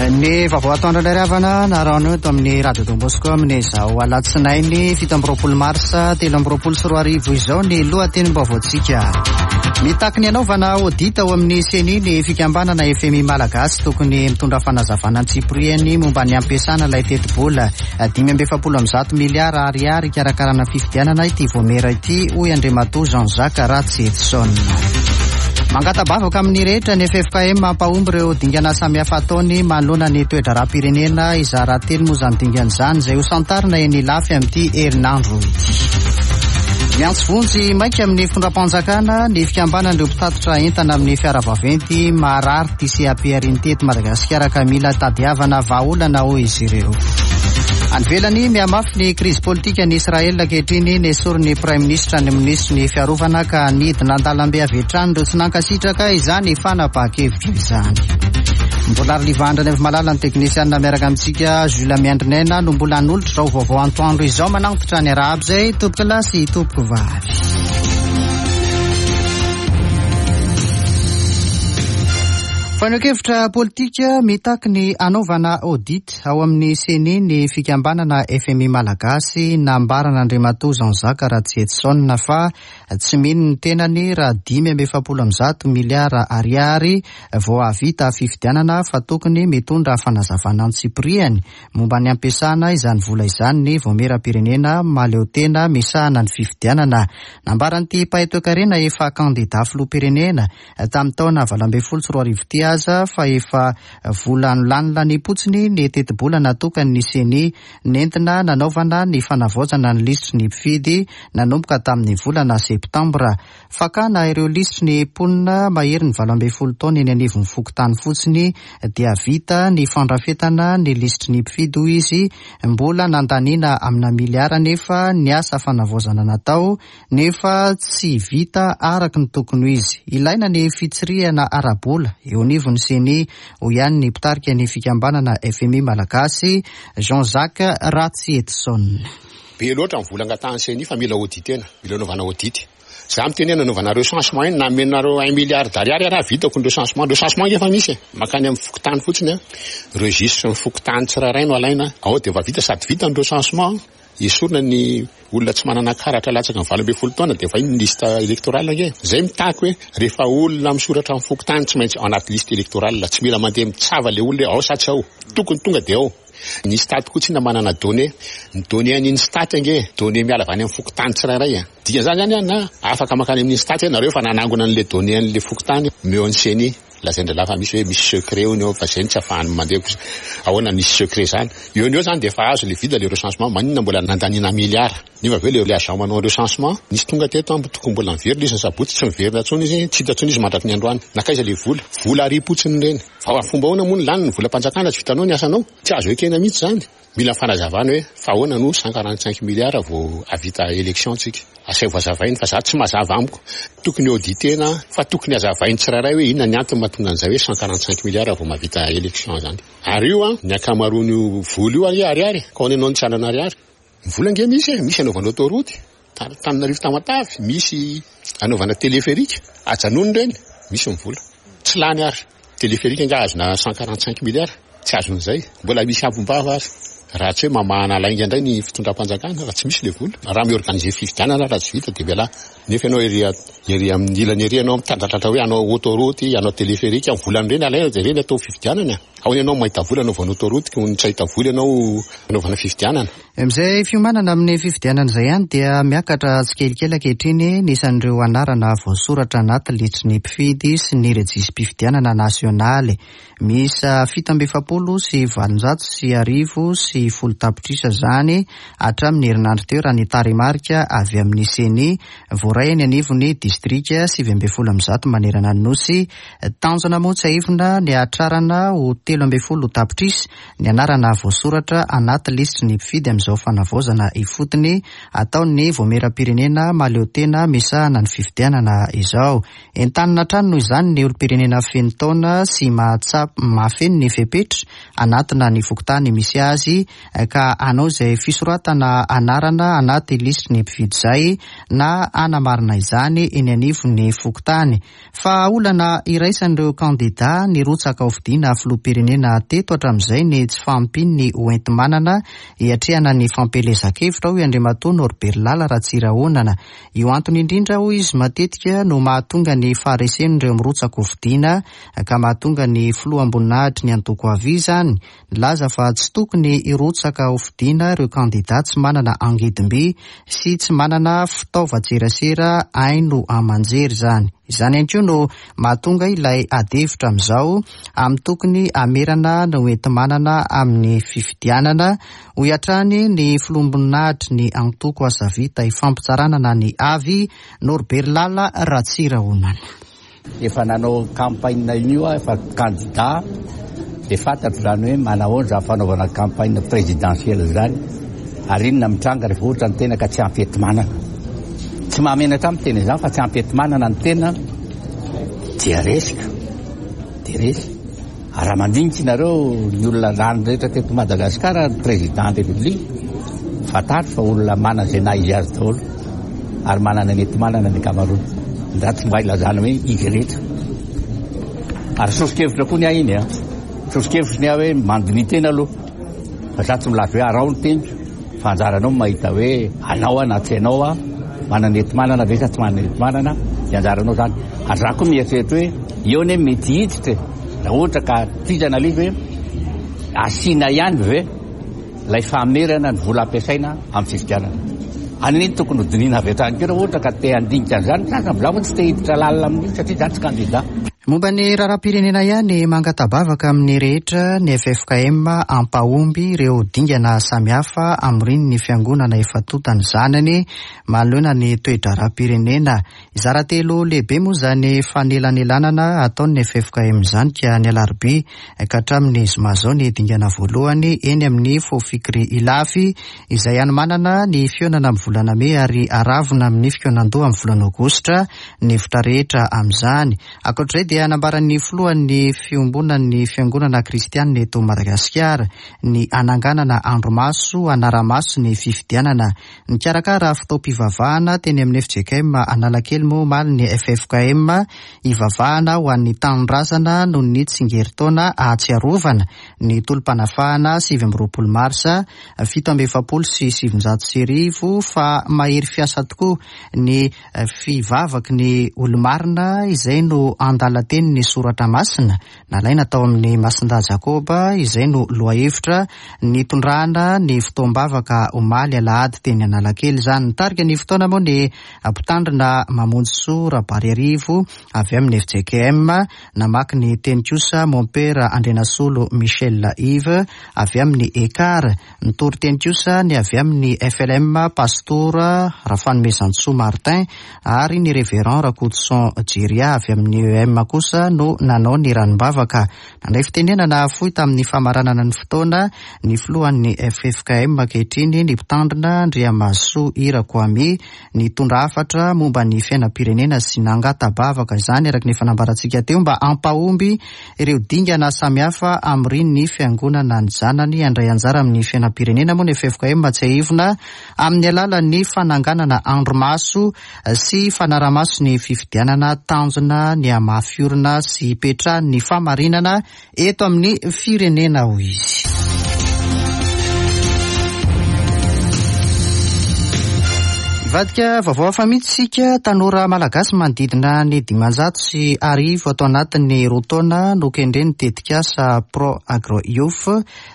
Ny vaovao atoandro indray ry havana narahanao eto amin'ny Radio Don Bosco amin'izao alatsinainy 27 marsa 2023 izao ny lohatenim-baovaontsika. Mitaky ny hanaovana audit ao amin'ny CENI ny fikambanana FMI Malagasy tokony mitondra fanazavana antsipiriany momba ny hampiasana ilay tetibola 145 miliara ariary hikarakarana fifidianana ity voamera ity hoy Andriamatoa Jean Jacques Ratsietison. Mangata-bavaka amin'ny rehetra ny ffkm hampahomby ireo dingana samihafa ataony manoloana ny toe-draharaham-pirenena. Hizara telo moa izany dingana izany izay ho santarina eny Ilafy amin'ity herinandro ity. Miantso vonjy maika amin'ny fitondram-panjakana ny fikambanan'ireo mpitatitra entana amin'ny fiara vaventy marary ity CAPR ity eto Madagasikara ka mila tadiavana vahaolana hoy izy ireo. Any ivelany, mihamafy ny krizy politika any Israel ankehitriny. Nesorin'ny Praiminisitra ny minisitry ny fiarovana ka nidina an-dalambe avy hatrany ireo tsy nankasitraka izany fanapahan-kevitra izany. Mbola Arlivandra Nevimalala ny teknisianina miaraka amintsika Jules Miandrinaina no mbola hanolotra izao vaovao antoandro izao manantitra ny arahaba izay tompokolahy sy tompokovavy. Fanehoan-kevitra politika mitaky ny hanaovana audit ao amin'ny Ceni ny fikambanana fmi Malagasy nambaran'Andriamatoa Jean Jacques Ratsietison fa tsy mino ny tenany raha 145 miliara ariary vao hahavita fifidianana fa tokony mitondra fanazavana antsipiriany momba ny hampiasana izany vola izany ny Vaomieram-pirenena mahaleotena misahana ny fifidianana. Nambaran'ity mpahay toekarena efa kandida filoham-pirenena tamin'ny taona 2018 ity aza fa efa vola nolanilaniam-potsiny ny tetibola natokan'ny Ceni nentina nanaovana ny fanavaozana ny lisitry ny mpifidy nanomboka tamin'ny volana septambra. Fakana ireo lisitry ny mponina maherin'ny 18 taona eny anivon'ny fokontany fotsiny dia vita ny fandrafetana ny lisitry ny mpifidy hoy izy. Mbola nandaniana amina miliara anefa ny asa fanavaozana natao nefa tsy vita araka ny tokony ho izy. Ilaina ny fitsirihana ara-bola eo anivon'ny Ceni, hoy ihany ny mpitarika ny fikambanana fmi Malagasy, Jean Jacques Ratsietison. Be loatra ny vola angatahan'ny Ceni fa mila auditena, mila anaovana audit. Za miteny hoe nanaovana recensement iny, na amenareo un milliard d'ariary ary aho vitako ny recensement. Recensement ange efa misy e, mankany amin'ny fokontany fotsiny an, registre ny fokontany tsirairay no alaina, ao dia efa vita, sady vita ny recensement, Esorina ny olona tsy manana karatra latsaka ny 18 taona dia efa iny ny liste électorale ange. Zay mitaky hoe rehefa olona misoratra amin'ny fokontany tsy maintsy ao anaty liste électorale, tsy mila mandeha mitsava le olona hoe ao sa tsy ao. Tokony tonga dia ao. Ny stat koa tsinona manana données. Ny données an'iny stat ange données miala avy any amin'ny fokontany tsirairay a. Dikan'izany zany an na afaka mankany amin'ny stat hoe nareo efa nanangona an'le données an'le fokontany omeo an'ny ceni. Lazain-drahalahy fa misy hoe misy secret hono eo fa zay no tsy afahany mandeha kosa. Ahoana misy secret zany? Eo no eo zany dia efa azo le vide le recensement, maninona mbola nandaniana milliard? Nefa avy eo le agent manao recensement nisy tonga teto an, tokony mbola niverina izy ny sabotsy, tsy niverina intsony izy, tsy hita intsony izy mandraky ny androany. Nankaiza le vola? Vola ariam-potsiny ireny. Fa fomba ahoana moa no lany ny volam-panjakana tsy vitanao ny asanao? Tsy azo ekena mihitsy zany. Mila fanazavana hoe fa ahoana no 145 milliards vao hahavita élection tsika? Asaivo hazavainy fa za tsy mazava amiko. Tokony auditer-na fa tokony hazavainy tsirairay hoe inona ny antony mahatonga an'izay hoe 145 milliards vao mahavita élection zany. Ary io an, ny ankamaroan'io vola io anie ariary e, ka ahoana ianao no tsy hanana ariary? Ny vola ange misy e, misy anaovana autoroute, Antananarivo Tamatave, misy anaovana téléphérique, ajanony ireny, misy ny vola. Tsy lany ary. Téléphérique angaha azona 145 milliards? Tsy azon'izay. Mbola misy ambim-bava ary. Raha tsy hoe mamahana lainga indray ny fitondram-panjakana, raha tsy misy ilay vola. Raha mi-organiser fifidianana raha tsy vita dia mialà. Nefa ianao ery ery amin'ny ilany ery ianao mitandratratra hoe hanao autoroute, hanao téléphérique, ny volan'ireny alaina dia ireny atao fifidianana. Ahoana ianao mahita vola hanaovana autoroute ko tsy hahita vola ianao hanaovana fifidianana? Amin'izay fiomanana amin'ny fifidianana izay ihany dia miakatra tsikelikely ankehitriny ny isan'ireo anarana voasoratra anaty lisitry ny mpifidy sy ny rejisi-pifidianana nasionaly. Miisa 1847 tapitrisa izany hatramin'ny herinandro teo raha ny tarehimarika avy amin'ny Ceni voaray eny anivon'ny distrika 119 manerana ny Nosy. Tanjona moa tsiahivina ny hahatrarana ho 13 tapitrisa ny anarana voasoratra anaty lisitry ny mpifidy amin'izay. amin'izao fanavaozana ifotony ataon'ny Vaomieram-pirenena mahaleotena misahana ny fifidianana izao. Entanina hatrany noho izany ny olom-pirenena feno taona sy mahatsapa mahafeno ny fepetra hanatona ny fokontany misy azy ka hanao izay fisoratana anarana anaty lisitry ny mpifidy izay na hanamarina izany eny anivon'ny fokontany. Fa olana iraisan'ireo kandidà nirotsaka hofidiana filoham-pirenena teto hatramin'izay ny tsy fahampian'ny hoenti-manana hiatrehana ny fampielezan-kevitra, hoy Andriamatoa Norbert Lala Ratsirahonana. Io antony indrindra, hoy izy, matetika no mahatonga ny faharesen'ireo mirotsaka hofidiana ka mahatonga ny filoham-boninahitry ny antoko Avi izany Nilaza fa tsy tokony hirotsaka hofidiana ireo kandidà tsy manana angidim-by sy tsy manana fitaovan-tserasera haino aman-jery izany. Izany ihany koa no mahatonga ilay adihevitra amin'izao amin'ny tokony hamerana ny hoenti-manana amin'ny fifidianana, hoy hatrany ny filoham-boninahitry ny antoko Asa Vita Ifampitsarana na ny Avi, Norbert Lala Ratsirahonana. Efa nanao campagne io aho, efa candidat, dia fantatro izany hoe manahoana izany fanaovana campagne présidentielle izany, ary inona mitranga rehefa ohatra ny tena ka tsy ampy enti-manana. Tsy mahamenatra ahy miteny izany fa tsy ampy enti-manana ny tena dia resy ka, dia resy. Ary raha mandinika nareo ny olona lany rehetra teto Madagascar ny président de république, fantaro fa olona manana izay naha izy azy daholo ary manana ny enti-manana ny ankamaroany. Za tsy mba ilazana hoe izy rehetra. Ary soso-kevitra koa ny ahy iny an. Soso-kevitro ny ahy hoe mandiniha tena aloha. Fa za tsy milaza hoe araho ny teniko fa anjaranao no mahita hoe anao aho na tsy anao aho, manana enti-manana ve sa tsy manana enti-manana, dia anjaranao zany. Ary za koa mieritreritra hoe eo anie mety hiditra e, raha ohatra ka tohizana ilay izy hoe asiana ihany ve ilay famerana ny vola ampiasaina amin'ny fifidianana. Any anie tokony ho dinihina avy hatrany koa raha ohatra ka te handinika an'izany ny sasany, za moa tsy te hiditra lalina amin'io satria za tsy kandida. Momba ny raharaham-pirenena ihany, mangata-bavaka amin'ny rehetra ny ffkm hampahomby ireo dingana samihafa hamorian'ny fiangonana efa tonta ny zanany manoloana ny toe-draharaham-pirenena. Hizara telo lehibe moa izany fanelanelanana ataon'ny ffkm izany ka ny alarobia ka hatramin'ny zoma izao ny dingana voalohany eny amin'ny Fofikri Ilafy izay hanomanana ny fihaonana amin'ny volana mey ary haravona amin'ny fikaonandoha amin'ny volana aogositra ny hevitra rehetra amin'izany. Ankoatra izay dia nambaran'ny filohan'ny fiombonan'ny fiangonana kristianina eto Madagasikara ny hananganana andromaso hanara-maso ny fifidianana. Nikarakara fotoam-pivavahana teny amin'ny fjkm Analakely moa omaly ny ffkm hivavahana ho an'ny tanindrazana noho ny tsingerin-taona ahatsiarovana ny tolom-panafahana 29 marsa 1947 fa mahery fiasa tokoa ny Fivavaky ny olo-marina izay no andalan-tenin'ny Soratra Masina nalaina tao amin'ny Masindahy Jakoba izay no lohahevitra nitondrana ny fotoam-bavaka omaly alahady teny Analakely izany. Nitarika ny fotoana moa ny Mpitandrina Mamonjisoa Rabariarivo avy amin'ny fjkm, namaky ny teny kosa Mompera Andrianasolo Michel Yves avy amin'ny Ekar. Nitory teny kosa ny avy amin'ny FLM Pastora Rafanomezantsoa Martin ary ny Révérend Rakotoson Jeria avy amin'ny EM kosa no nanao ny ranombavaka. Nandray fitenenana fohy tamin'ny famaranana ny fotoana ny filohan'ny ffkm ankehitriny ny mpitandrina Andriamahasoa Hira Kwame nitondra hafatra momba ny fiainam-pirenena sy nangata-bavaka izany araka ny efa nambarantsika teo mba hampahomby ireo dingana samihafa hamorian'ny fiangonana ny zanany handray anjara amin'ny fiainam-pirenena moa ny ffkm tsiahivina amin'ny alalan'ny fananganana andrimaso sy fanaramaso ny fifidianana tanjona ny hamafy orina sy hipetrahan'ny famarinana eto amin'ny firenena hoy izy. Hivadika vaovao hafa mihitsy isika, tanora malagasy manodidina ny 1500 ato anatin'ny roa taona no kendren'ny tetikasa Pro Agro Youth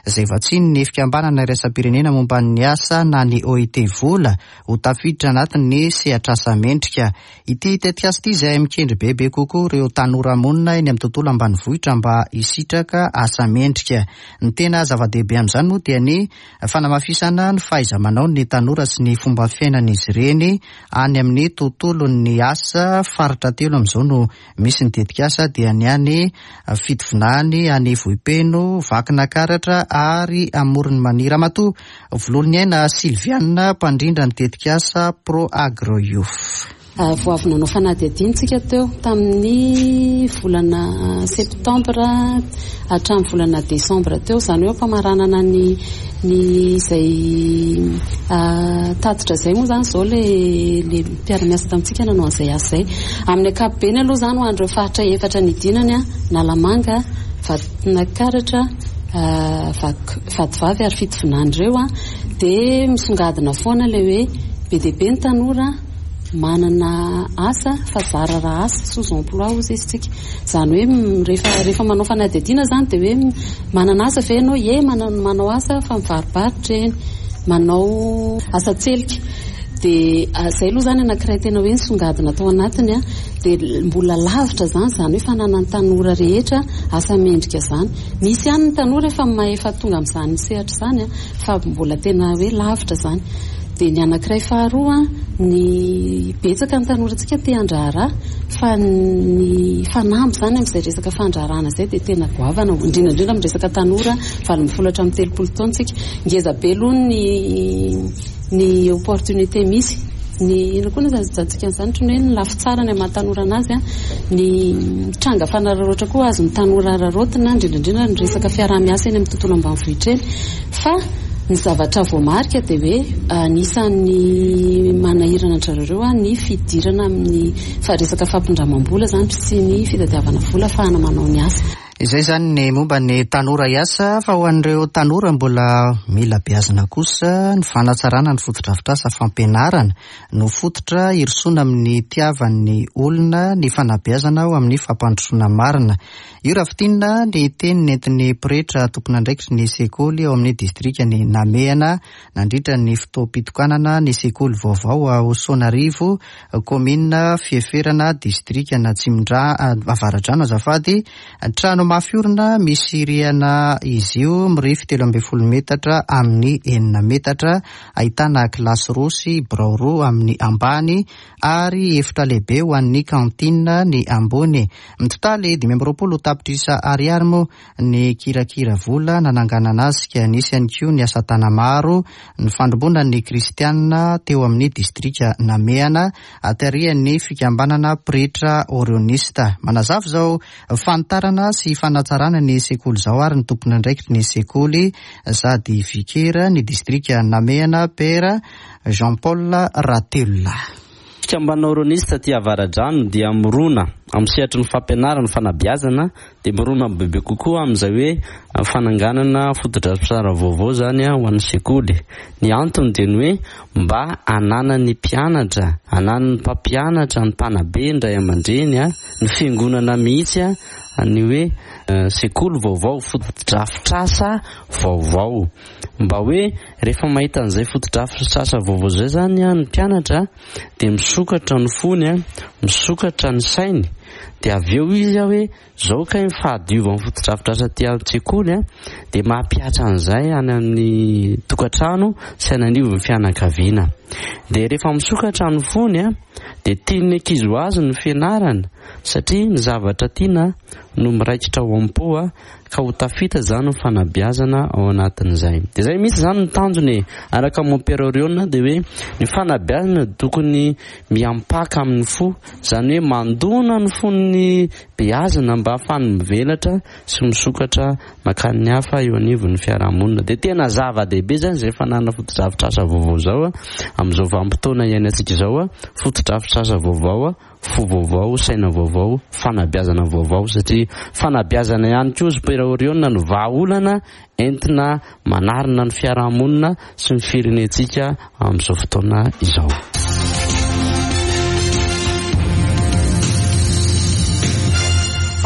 izay vatsian'ny fikambanana iraisam-pirenena momba ny asa na ny OIT vola ho tafiditra anatin'ny sehatr'asa mendrika. Ity tetikasa ity izay mikendry bebe kokoa ireo tanora monina eny amin'ny tontolo ambanivohitra mba hisitraka asa mendrika. Ny tena zava-dehibe amin'izany moa dia ny fanamafisana ny fahaiza-manaon'ny tanora sy ny fomba fiainan'izy ireo. dieny any amin'ny tontolon'ny asa. Faritra telo amin'izao no misy ny tetikasa dia ny any Fitovinany, any Vohipeno, Vakinakaratra ary Amoron'i Mania. Ramatoa Vololoniaina Sylviane, mpandrindra ny tetikasa Pro Agro Youth. Vao avy nanao fanadihadiana isika teo tamin'ny volana septambra hatramin'ny volana desambra teo, izany hoe am-pamaranana ny ny izay tatitra izay moa izany izao ilay ilay mpiara-miasa tamintsika nanao an'izay asa izay. Amin'ny ankapobeny aloha izany ho an'ireo faritra efatra nidinany, Analamanga, Vakinankaratra, Vatovavy ary Fitovinany ireo dia misongadina foana ilay hoe be dia be ny tanora manana asa fa zara raha asa, sous emploi hozy izy tsika. Izany hoe rehefa rehefa manao fanadihadiana izany dia hoe manana asa ve ianao? Ie, manao asa fa mivarobarotra eny, manao asa tselika. Dia izay aloha izany anankiray tena hoe nisongadina tao anatiny an. Dia mbola lavitra izany, izany hoe fananan'ny tanora rehetra asa mendrika izany. Misy ihany ny tanora efa efa tonga amin'izany sehatra izany an, fa mbola tena hoe lavitra izany. Dia ny anankiray faharoa, ny betsaka ny tanorantsika te handraharaha fa ny fanamby izany amin'izay resaka fandraharahana izay dia tena goavana, indrindra indrindra amin'ny resaka tanora 18 hatramin'ny 30 taona isika. Ngeza be aloha ny ny opportunité misy, ny inona koa no ilazantsika an'izany, ohatran'ny hoe ny lafy tsarany amin'ny maha tanora an'azy, ny tranga fanararaotra koa azon'ny tanora araraotina, indrindra indrindra ny resaka fiaraha-miasa eny amin'ny tontolo ambanivohitra eny. Fa ny zavatra voamarika dia hoe anisan'ny manahirana an-dry zareo ireo ny fidirana amin'ny resaka fampindramam-bola izany sy ny fitadiavana vola ahafahana manao ny asa. Izay izany ny momba ny tanora hiasa fa ho an'ireo tanora mbola mila beazina kosa ny fanatsarana ny fotodrafitrasa fampianarana no fototra hirosoana amin'ny hitiavan'ny olona ny fanabeazana ho amin'ny fampandrosoana marina. Io raha fintinina ny teny nentin'ny pretra tompon'andraikitry ny sekoly ao amin'ny distrikan'i Namehana nandritra ny fotoam-pitokanana ny sekoly vaovao ao Soanarivo, kaominina Fieferana, distrikan'Atsimondra Avaradrano azafady. Trano mafy orina misy rihana izy io, mirefy 13 metatra amin'ny 6 metatra, ahitana kilasy roa sy birao roa amin'ny ambany ary efitra lehibe ho an'ny cantine ny ambony. Mitotaly 25 tapitrisa ariary moa ny kirakira vola nananganana azy ka nisy ihany koa ny asa tana-maro nifandrombonan'ny kristianina teo amin'ny distrika Namehana tarihan'ny fikambanana pretra orionista. Manazava izao fanitarana sy fanatsarana ny sekoly izao ary ny tompon'andraikitry ny sekoly sady vikera ny distrika Namehana Père Jean Paul Ratelolahy. Fikambanana Oronista aty Avaradrano dia mirona amin'ny sehatry ny fampianarana, fanabeazana, dia mirona bebe kokoa amin'izay hoe fananganana fotodrafitrasa vaovao izany ho an'ny sekoly. Ny antony dia ny hoe mba hananan'ny mpianatra, hananan'ny mpampianatra, ny mpanabe, ny ray aman-dreny, ny fiangonana mihitsy ny hoe sekoly vaovao, fotodrafitrasa vaovao. Mba hoe rehefa mahita an'izay fotodrafitrasa vaovao izay izany ny mpianatra dia misokatra ny fony, misokatra ny sainy, dia avy eo izy hoe izao kay ny fahadiovan'ny fotodrafitrasa aty an-tsekoly dia mampihatra an'izay any amin'ny tokantrano sy any anivon'ny fianakaviana. Dia rehefa misokatra ny fony dia tian'ny ankizy ho azy ny fianarana satria ny zavatra tiana no miraikitra ao am-po ka ho tafita izany ny fanabeazana ao anatin'izay. Dia izay mihitsy izany ny tanjona e. Araka an'i Mompera Orione dia hoe ny fanabeazana dia tokony miampaka amin'ny fo, izany hoe mandona ny fon'ny beazina mba hahafahany mivelatra sy misokatra mankany ny hafa eo anivon'ny fiarahamonina. Dia tena zava-dehibe izany izay fananana fotodrafitrasa vaovao izao amin'izao vanim-potoana iainantsika izao, fotodrafitrasa vaovao Fo vaovao, saina vaovao, fanabeazana vaovao satria fanabeazana ihany koa ry Père Orione no vahaolana entina manarina ny fiarahamonina sy ny firenentsika amin'izao fotoana izao.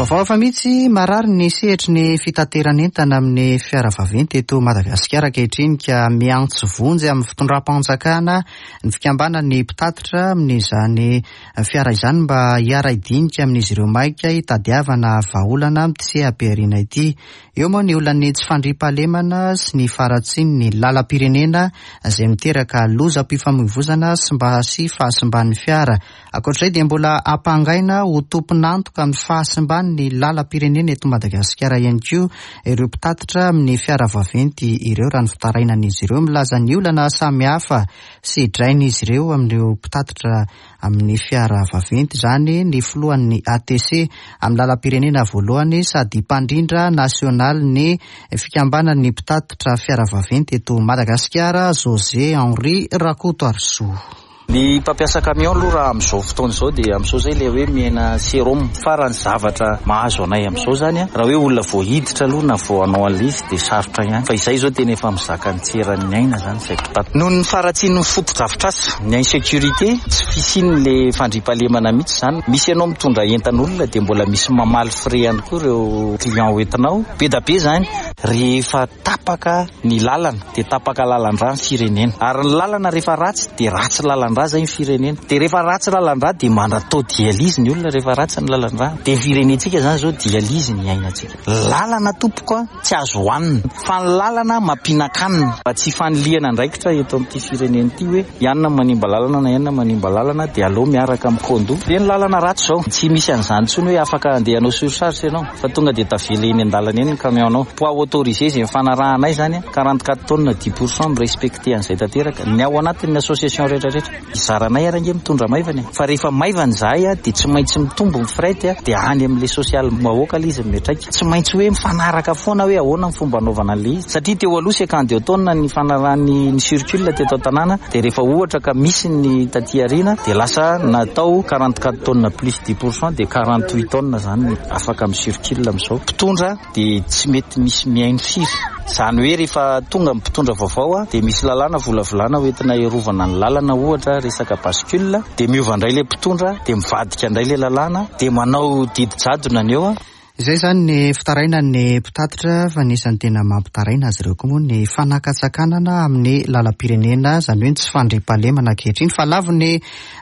Vaovao hafa mihitsy, marary ny sehatry ny fitateran'entana amin'ny fiara vaventy eto Madagasikara ankehitriny ka miantso vonjy amin'ny fitondram-panjakana ny fikambanan'ny mpitatitra amin'izany fiara izany mba hiara-hidinika amin'izy ireo maika hitadiavana vahaolana amin'ity seha-pihariana ity. Eo moa ny olan'ny tsy fandriampahalemana sy ny faharatsian'ny lalam-pirenena izay miteraka lozam-pifamoivozana sy mba sy fahasimban'ny fiara. Ankoatra izay dia mbola ampangaina ho tompon'antoka amin'ny fahasimban'ny lalam-pirenena eto Madagasikara ihany koa ireo mpitatitra amin'ny fiara vaventy ireo raha ny fitarainan'izy ireo milaza ny olana samihafa sedrain'izy ireo amin'ireo mpitatitra amin'ny fiara vaventy izany ny filohan'ny ATC amin'ny lalam-pirenena voalohany sady mpandrindra nasionalin'ny fikambanan'ny mpitatitra fiara vaventy eto Madagasikara José Henri Rakotoarisoa. Ny mpampiasa camion aloha raha amin'izao fotoana izao dia amin'izao izay ilay hoe miaina sérum fa raha ny zavatra mahazo anay amin'izao izany raha hoe olona vao hiditra aloha na vao hanao an'ilay izy dia sarotra ihany fa izay izao tena efa mizaka ny tsy eran'ny aina izany izay mpitata. Noho ny faharatsian'ny fotodrafitrasa, ny insécurité, tsy fisian'ilay fandriampahalemana mihitsy izany. Misy ianao mitondra entan'olona dia mbola misy mamaly frais ihany koa ireo client hoentinao. Be da be izany. Rehefa tapaka ny lalana dia tapaka lalan-drà ny firenena. Ary ny lalana rehefa ratsy dia ratsy lalan-drà izay ny firenena. Dia rehefa ratsy lalan-drà dia manatao dialyse ny olona rehefa ratsy ny lalan-drà. Dia ny firenentsika izany izao dialyse ny iainantsika. Lalana tompoko a, tsy azo hohanina. Fa ny lalana mampihinan-kanina. Mba tsy hifanilihana andraikitra eto amin'ity firenena ity hoe i anona manimba lalana na i anona manimba lalana dia aleo miaraka mikondo. Dia ny lalana ratsy izao. Tsy misy an'izany intsony hoe afaka andeha hanao surcharge ianao. Fa tonga dia tavela eny an-dalana eny ny camion-nao. Poids autorisé izay nifanarahanay izany, 44 tonnes 10% mi-respecter an'izay tanteraka. Ny ao anatin'ny association rehetra rehetra. Izaranay ary ange mitondra maivana e. Fa rehefa maivana izahay dia tsy maintsy mitombo ny fret dia any amin'ilay sosialim-bahoaka ilay izy miantraika. Tsy maintsy hoe mifanaraka foana hoe ahoana ny fomba anaovana an'ilay izy. Satria teo aloha 52 tonnes ny nifanarahan'ny ni-circule teto an-tanàna dia rehefa ohatra ka misy ny taty aoriana dia lasa natao 44 tonnes plus 10% dia 48 tonnes izany. Afaka mi circule amin'izao. Mpitondra dia tsy mety misy mihaino firy. Izany hoe rehefa tonga ny mpitondra vaovao dia misy lalàna volavolana ho entina hiarovana ny lalana ohatra resaka bascule dia miova indray ilay mpitondra dia mivadika indray ilay lalàna dia manao didy jadona ny eo. Izay izany ny fitarainan'ny mpitatitra fa anisan'ny tena mampitaraina azy ireo koa moa ny fanakatsakanana amin'ny lalam-pirenena, izany hoe ny tsy fandriampahalemana ankehitriny fa lavon'ny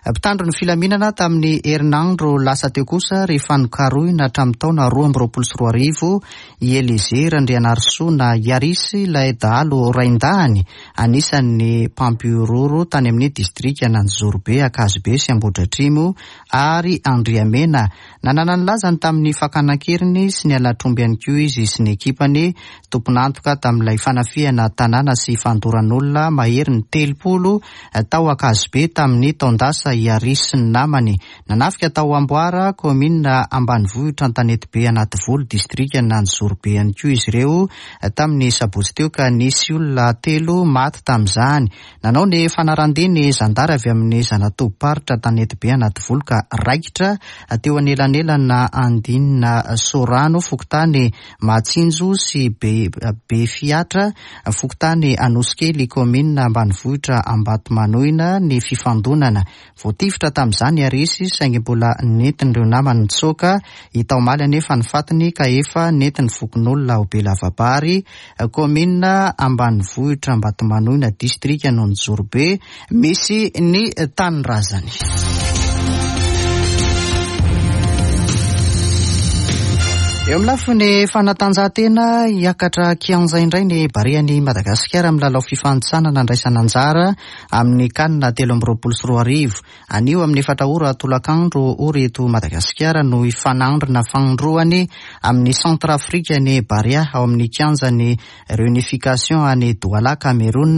Mpitandro ny filaminana tamin'ny herinandro lasa teo kosa rehefa nokarohina hatramin'ny taona 2022 i Eliezer Randrianarisoa na Iaris ilay dahalo raindahiny anisan'ny mpampihorohoro tany amin'ny distrikan'Anjozorobe, Ankazobe sy Ambohidratrimo ary Andriamena. Nanana ny lazany tamin'ny fakana an-keriny sy ny halatr'omby ihany koa izy sy ny ekipany, tompon'antoka tamin'ilay fanafihana tanàna sy fandoran'olona mahery ny 30 tao Ankazobe tamin'ny taon-dasa i Harry sy ny namany. Nanafika tao Amboara, kaominina ambanivohitra Antanetibe Anativolo, distrikan'Anjozorobe ihany koa izy ireo tamin'ny sabotsy teo ka nisy olona telo maty tamin'izany. Nanao ny fanaran-dia ny zandary avy amin'ny zana-tobim-paritra Antanetibe Anativolo ka raikitra teo anelanelana Andinina Sorano, fokontany Mahatsinjo sy Befiatra, fokontany Anosikely, kaominina ambanivohitra Ambatomanoina ny fifandonana. Voatifitra tamin'izany i Arisy saingy mbola nentin'ireo namany nitsoaka. Hita omaly anefa ny fatiny ka efa nentin'ny fokonolona ao Belavabary, kaominina ambanivohitra Ambatomanoina, distrikan'Onjorobe, misy ny tanindrazany. Eo amin'ny lafiny fanatanjahantena, hiakatra kianja indray ny Barean'i Madagasikara amin'ny lalao fifanintsanana andraisana anjara amin'ny Can 2023. Anio amin'ny efatra ora tolakandro ora eto Madagasikara no hifanandrina fanindroany amin'ny Centrafrique ny Barea ao amin'ny kianjan'ny Reunification any Douala, Cameroun.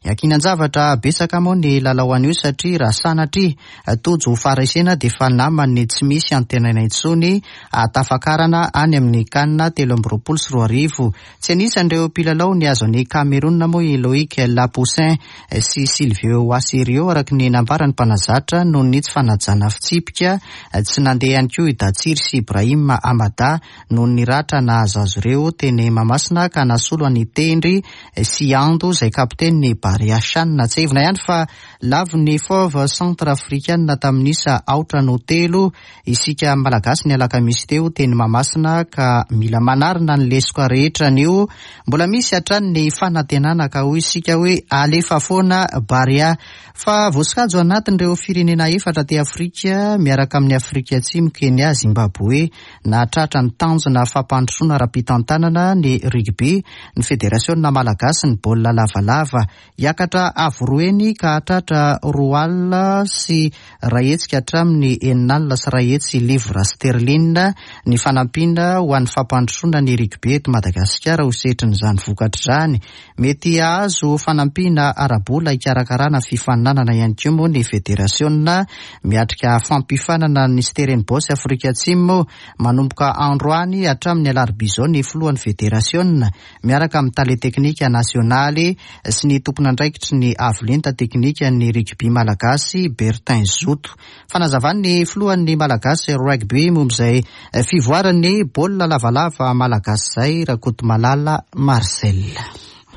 Iankinan-javatra betsaka moa ny lalao anio satria raha sanatria tojo ho faharesena dia efa naman'ny tsy misy antenaina intsony hahatafakarana any. izany amin'ny Can 2023. Tsy anisan'ireo mpilalao nihazo an'i Cameroun moa i Loic Lapoussin sy Sylvio Waserio araka ny nambaran'ny mpanazatra noho ny tsy fanajana fitsipika. Tsy nandeha ihany koa i Datsiry sy Ibrahim Amada noho ny ratra nahazo azy ireo teny Mahamasina ka nasolo an'i Tendry sy Ando izay kapitenin'ny Barea Chan. Tsiahivina ihany fa lavon'ny Fauve Centrafricaine tamin'ny isa aotra no telo isika Malagasy ny alakamisy teo teny Mahamasina ka mila manarina ny lesoka rehetra anio. Mbola misy hatrany ny fanantenana ka hoy isika hoe alefa foana Barea. Fa voasokajy ho anatin'ireo firenena efatra aty Afrika miaraka amin'i Afrika Atsimo, Kenya, Zimbabwe Nahatratra ny tanjona fampandrosoana ara-pitantanana ny rugby ny federasiona malagasy ny baolina lavalava. Hiakatra avo roa heny ka hahatratra 2 100 ka hatramin'ny 106 livres sterling ny fanampiana ho an'ny fampandrosoana ny rugby eto Madagasikara ho setrin'izany vokatra izany. Mety hahazo fanampiana ara-bola hikarakarana fifaninanana ihany koa moa ny federasiona miatrika fampiofanana ny Stellenbosch Afrika Atsimo manomboka androany hatramin'ny alarobia izao ny filohan'ny federasiona miaraka amin'ny tale teknika nasionaly sy ny tompon'andraikitry ny avolenta teknika ny rugby malagasy Bertin Zoto. Fanazavan'ny filohan'ny Malagasy Rugby momba izay fivoaran'ny baolina lavalava malagasy izay Rakotomalala Marcel.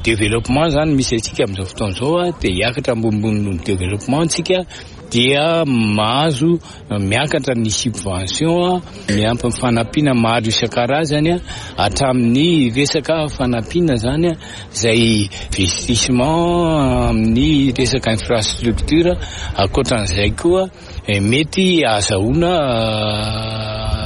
Développement zany misy antsika amin'izao fotoana izao dia hiakatra ambonimbony noho ny développement tsika dia mahazo miakatra ny subvention miampy ny fanampiana maro isan-karazany hatramin'ny resaka fanampiana zany izay investissement amin'ny resaka infrastructure. Ankoatran'izay koa mety ahazahoana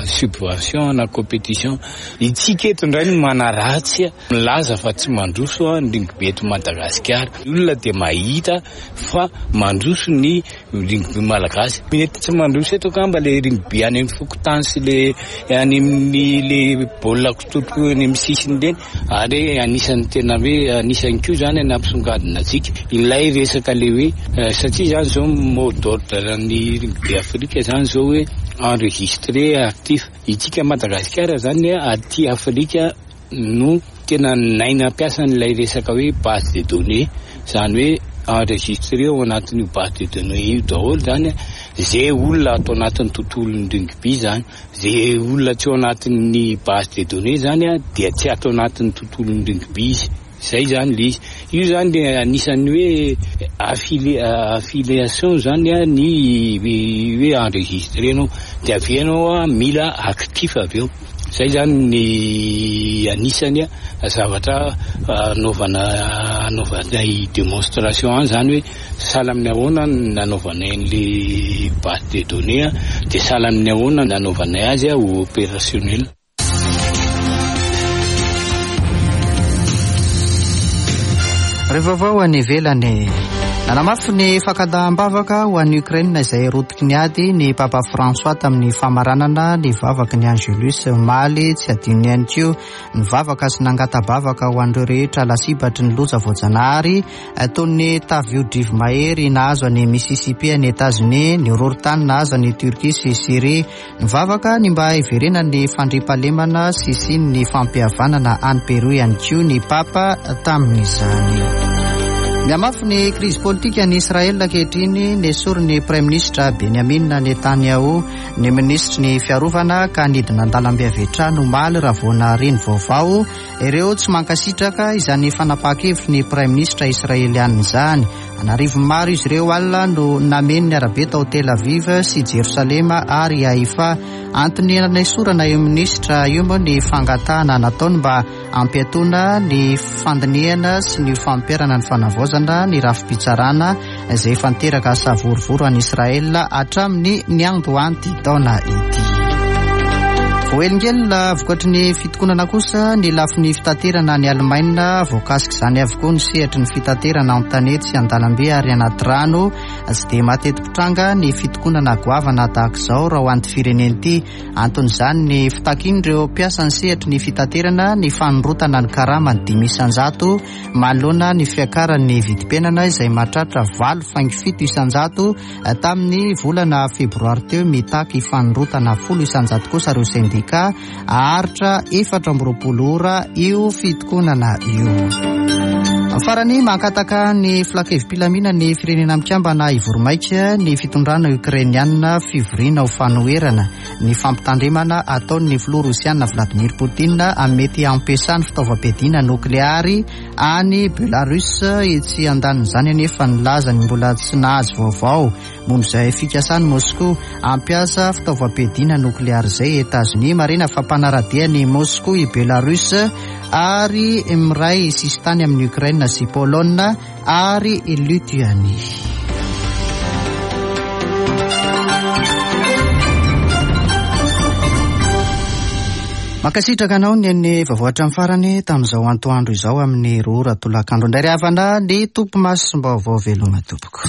subvention na compétition. Itsika eto indray no manaratsy milaza fa tsy mandroso ny rugby eto Madagasikara. Ny olona dia mahita fa mandroso ny rugby malagasy. Mety tsy mandroso eto angamba le rugby any amin'ny fokontany sy le any amin'ny le baolina kitoto any amin'ny sisiny ireny, ary anisan'ny tena hoe anisan'ny koa zany nampisongadina antsika ilay resaka le hoe satria zany zao mot d'ordre ny rugby Afrika zany zao hoe enregistré actif. Itsika Madagasikara zany aty Afrika no tena naina ampiasan'ilay resaka hoe base de données, zany hoe enregistré ao anatin'io base de données io daholo zany zay olona ato anatin'ny tontolon'ny rugby zany. Zay olona tsy ao anatin'ny base de données zany dia tsy ato anatin'ny tontolon'ny rugby izy. Zay zany le izy. Io zany le anisan'ny hoe affiliation zany ny hoe enregistré anao, dia avy eo anao mila actif avy eo. Zay zany ny anisany zavatra anaovana anaovanay démonstration any zany hoe sahala amin'ny ahoana nanaovanay an'le base de données dia sahala amin'ny ahoana nanaovanay azy ho opérationnel. Ireo vaovao any ivelany. Nanamafy ny fankadaham-bavaka ho an'i Ukraine izay rotiky ny ady ny Papa François tamin'ny famaranana ny vavaky ny Angelus omaly. Tsy adinony ihany koa ny vavaka sy nangata-bavaka ho an'ireo rehetra lasibatry ny loza voajanahary toy ny tafio-drivo-mahery nahazo an'i Mississippi any Etazonia, ny horohorontany nahazo an'i Turquie sy Syrie. Nivavaka ny mba hiverenan'ny fandriampahalemana sy hisian'ny fampihavanana any Peroa ihany koa ny Papa tamin'izany. Mihamafy ny krizy politika any Israel ankehitriny. Nesorin'ny Praiminisitra Benjamin Netanyahu ny minisitry ny fiarovana ka nidina an-dalambe avy hatrany omaly raha vao nahare ny vaovao ireo tsy mankasitraka izany fanapahan-kevitry ny Praiminisitra israelianina izany. An'arivony maro izy ireo alina no nameno ny arabe tao Tel Aviv sy Jerosalema ary Haifa. Antony nanesorana io minisitra io moa ny fangatahana nataony mba hampiatoana ny fandinihana sy ny fampiharana ny fanavaozana ny rafi-pitsarana izay efa niteraka savorovoro any Israel hatramin'ny niandohan'ity taona ity. Voahelingelina vokatry ny fitokonana kosa ny lafiny fitaterana any Alemaina. Voakasik'izany avokoa ny sehatry ny fitaterana an-tanety sy an-dalambe ary anaty rano. Tsy dia mateti-pitranga ny fitokonana goavana tahaka izao raha ho an'ity firenena ity. Anton'izany ny fitakian'ireo mpiasan'ny sehatry ny fitaterana ny fanondrotana ny karamany 5% manoloana ny fiakaran'ny vidim-piainana izay mahatratra 8,7% tamin'ny volana febroary teo. Mitaky fanondrotana 10% kosa ireo sendika. sendika. Haharitra 24 ora io fitokonana io. Farany, mangataka ny filankevi-pilaminan'ny Firenena Mikambana hivory-maika ny fitondrana Ukrainiana fivoriana ho fanoherana ny fampitandremana ataon'ny filoha Rosiana Vladimir Putin amin'ny mety hampiasany fitaovam-piadiana nokleary any Belarus. Etsy andanin'izany anefa nilaza ny mbola tsy nahazo vaovao momba izay fikasan'i Moskoa hampiasa fitaovam-piadiana nokleary izay i Etazonia. Marihina fa mpanara-dia an'i Moskoa i Belarus ary miray sisintany amin'i Ukraine sy Polonina ary i Lituanie. Mankasitraka anao ny an'ny vaovao hatramin'ny farany tamin'izao antoandro izao amin'ny roa ora tolakandro indray ry havana ny tompo masom-baovao veloma tompoko.